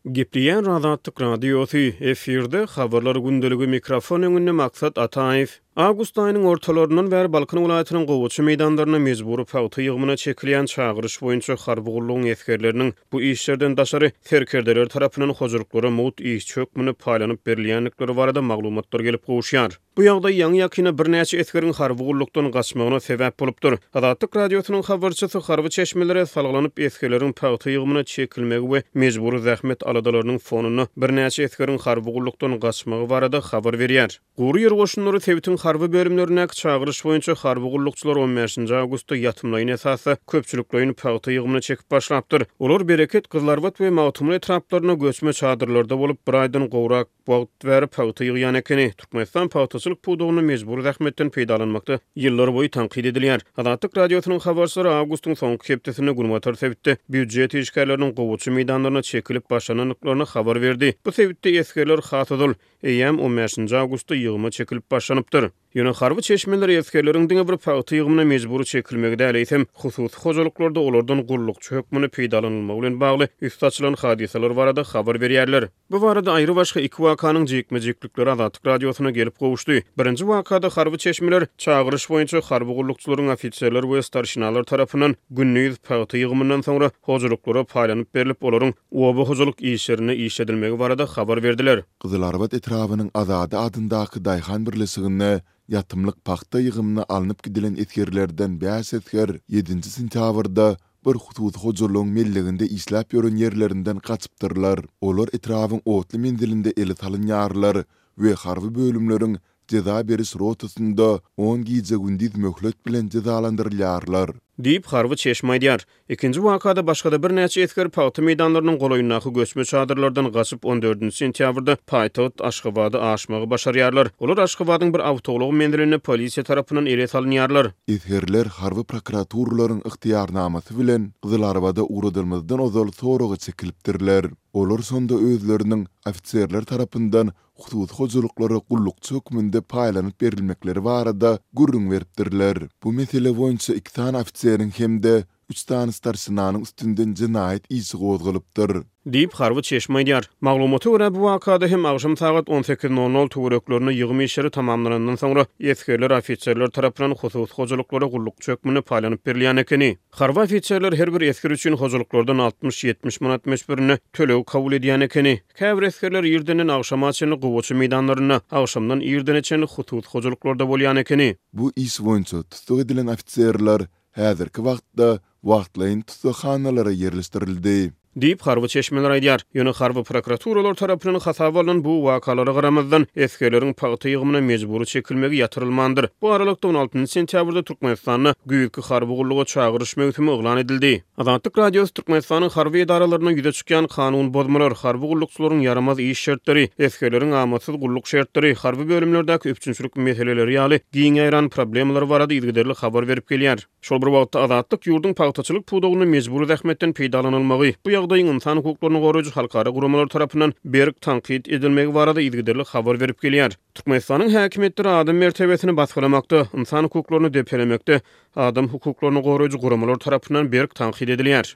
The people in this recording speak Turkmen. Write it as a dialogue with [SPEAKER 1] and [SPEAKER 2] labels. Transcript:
[SPEAKER 1] Gepleýär Azatlyk Radiosy, efirde Habarlar gündeligi mikrofon öňünde Maksat Ataýew. Awgust aýynyň ortalaryndan bäri Balkan welaýatynyň gowaça meýdanlarynda mejbury pagta ýygymyna çekilýän çagyryş boýunça harby gullugyň esgerleriniň bu işlerden daşary serkerdeler tarapyndan hojalyklara mugt işçi hökmünde paýlanyp berilýändikleri barada maglumatlar gelip gowuşýar. Bu ýagdaý ýaňy-ýakynda birnäçe esgeriň harby gullukdan gaçmagyna sebäp bolupdyr. Azatlyk Radiosynyň habarçysy harby çeşmelere salgylanyp, esgerleriň pagta ýygymyna çekilmegi we mejbury zähmet aladalarynyň fonunda birnäçe esgeriň harby gullukdan gaçmagy barada habar berýär. Gury ýer goşunlary sebitiň harby bölümlerindäki çagyryş boýunça harby gullukçylar on bäşinji awgustda ýatymlaýyn esasda köpçülikleýin pagta ýygymyna çekip başlapdyr. Olar Bereket, Gyzylarbat we Magtymguly etraplarynda göçme çadyrlarda bolup, bir aýdan gowrak wagt bäri pagta ýygýan ekeni. Türkmenistan pagtaçylyk pudagynda mejbury zähmetden peýdalanmakda ýyllarboýy tankyt edilýär. Azatlyk Radiosynyň habarçylary awgustyň soňky hepdesinde günbatar sebitde býujet işgärleriniň gowaça meýdanlaryna çekilip başlanandyklaryny habar berdi. Bu sebitde esgerler has ozal, eýýäm on bäşinji awgustda ýygyma çekilip başlanypdyr. Ýöne harby çeşmeler esgerleriň diňe bir pagta ýygymyna mejbury çekilmegi däl, eýsem, hususy hojalyklarda olardan gullukçy hökmünde peýdalanylmagy bilen bagly üsti açylan hadysalar barada habar berýärler. Bu barada aýrybaşga iki wakanyň jikme-jiklikleri Azatlyk Radiosyna gelip gowuşdy. Birinji wakada harby çeşmeler çagyryş boýunça harby gullukçylaryň ofiserler we starşinalar tarapyndan gündiz pagta ýygymyndan soňra hojalyklara paýlanyp berlip, olaryň oba hojalyk işlerinde işledilmegi barada habar berdiler.
[SPEAKER 2] Gyzylarbat etrabynyň Azady adyndaky daýhan birleşiginde ýatymlyk pagta ýygymyna alnyp gidilen esgerlerden bäş esger ýedinji sentýabrda bir hususy hojalygyň melleginde işläp ýören ýerlerinden gaçypdyrlar. Olar etrabyň otly menzilinde ele salynýarlar we harby bölümleriň jeza beriş rotasynda on gije-gündiz möhlet bilen jezalandyrylýarlar.
[SPEAKER 1] Diýip, harby çeşme aýdýar. Ikinji wakada başga-da birnäçe esger pagta meýdanlarynyň golaýyndaky göçme çadyrlardan gaçyp, on dördünji sentýabrda paýtagt Aşgabada aşmagy başarýarlar. Olar Aşgabadyň bir awtoulag menzilinde polisiýa tarapyndan ele salynýarlar.
[SPEAKER 2] Esgerler harby prokuraturalaryň ygtyýarnamasy bilen Gyzylarbada ugradylmazdan ozal soraga çekilipdirler. Olar şonda özleriniň ofiserler tarapyndan hususy hojalyklara gullukçy hökmünde paýlanyp berilmekleri barada gürrüň beripdirler. Bu mesele boýunça iki sany ofiseriň hem-de üç sany starşinanyň üstünden jenaýat işi gozgalypdyr.
[SPEAKER 1] Diýip, harby çeşme aýdýar. Maglumata görä, bu wakada hem agşam sagat on sekiz nol nol töwereklerinde ýygym işleri tamamlanandan soňra, esgerler ofiserler tarapyndan hususy hojalyklara gullukçy hökmünde paýlanyp berilýän ekeni. Harby ofiserler her bir esger üçin hojalyklardan altmyş-ýetmiş manat möçberinde töleg kabul edýän ekeni. Käbir esgerler irdenden agşama çenli gowaça meýdanlarynda, agşamdan irdene çenli hususy hojalyklarda bolýan ekeni.
[SPEAKER 2] Bu iş boýunça tussag edilen ofiserler häzirki wagtda wagtlaýyn tussaghanalara ýerleşdirildi.
[SPEAKER 1] Diýip, harby çeşmeler aýdýar. Ýöne harby prokuraturalar tarapyndan hasaba alnan bu wakalara garamazdan, esgerleriň pagta ýygymyna mejbury çekilmegi ýatyrylmandyr. Bu aralykda, on altynjy sentýabrda Türkmenistanda güýzki harby gulluga çagyryş möwsümi yglan edildi. Azatlyk Radiosy Türkmenistanyň harby edaralarynda ýüze çykýan kanun bozmalar, harby gullukçylaryň ýaramaz iş şertleri, esgerleriň amatsyz gulluk şertleri, harby bölümlerdäki üpjünçilik meseleleri ýaly giň ýaýran problemalar barada yzygiderli habar berip gelýär. Şol bir wagtda, Azatlyk ýurduň pagtaçylyk pudagynda mejbury zähmetden peýdalanylmagy, bu ýagdaýyň ynsan hukuklaryny goraýjy halkara guramalar tarapyndan berk tankyt edilmegi barada yzygiderli habar berip gelýär. Türkmenistanyň häkimiýetleri adam mertebesini basgylamakda, ynsan hukuklaryny depelemekde adam hukuklaryny goraýjy guramalar tarapyndan berk tankyt edilýär.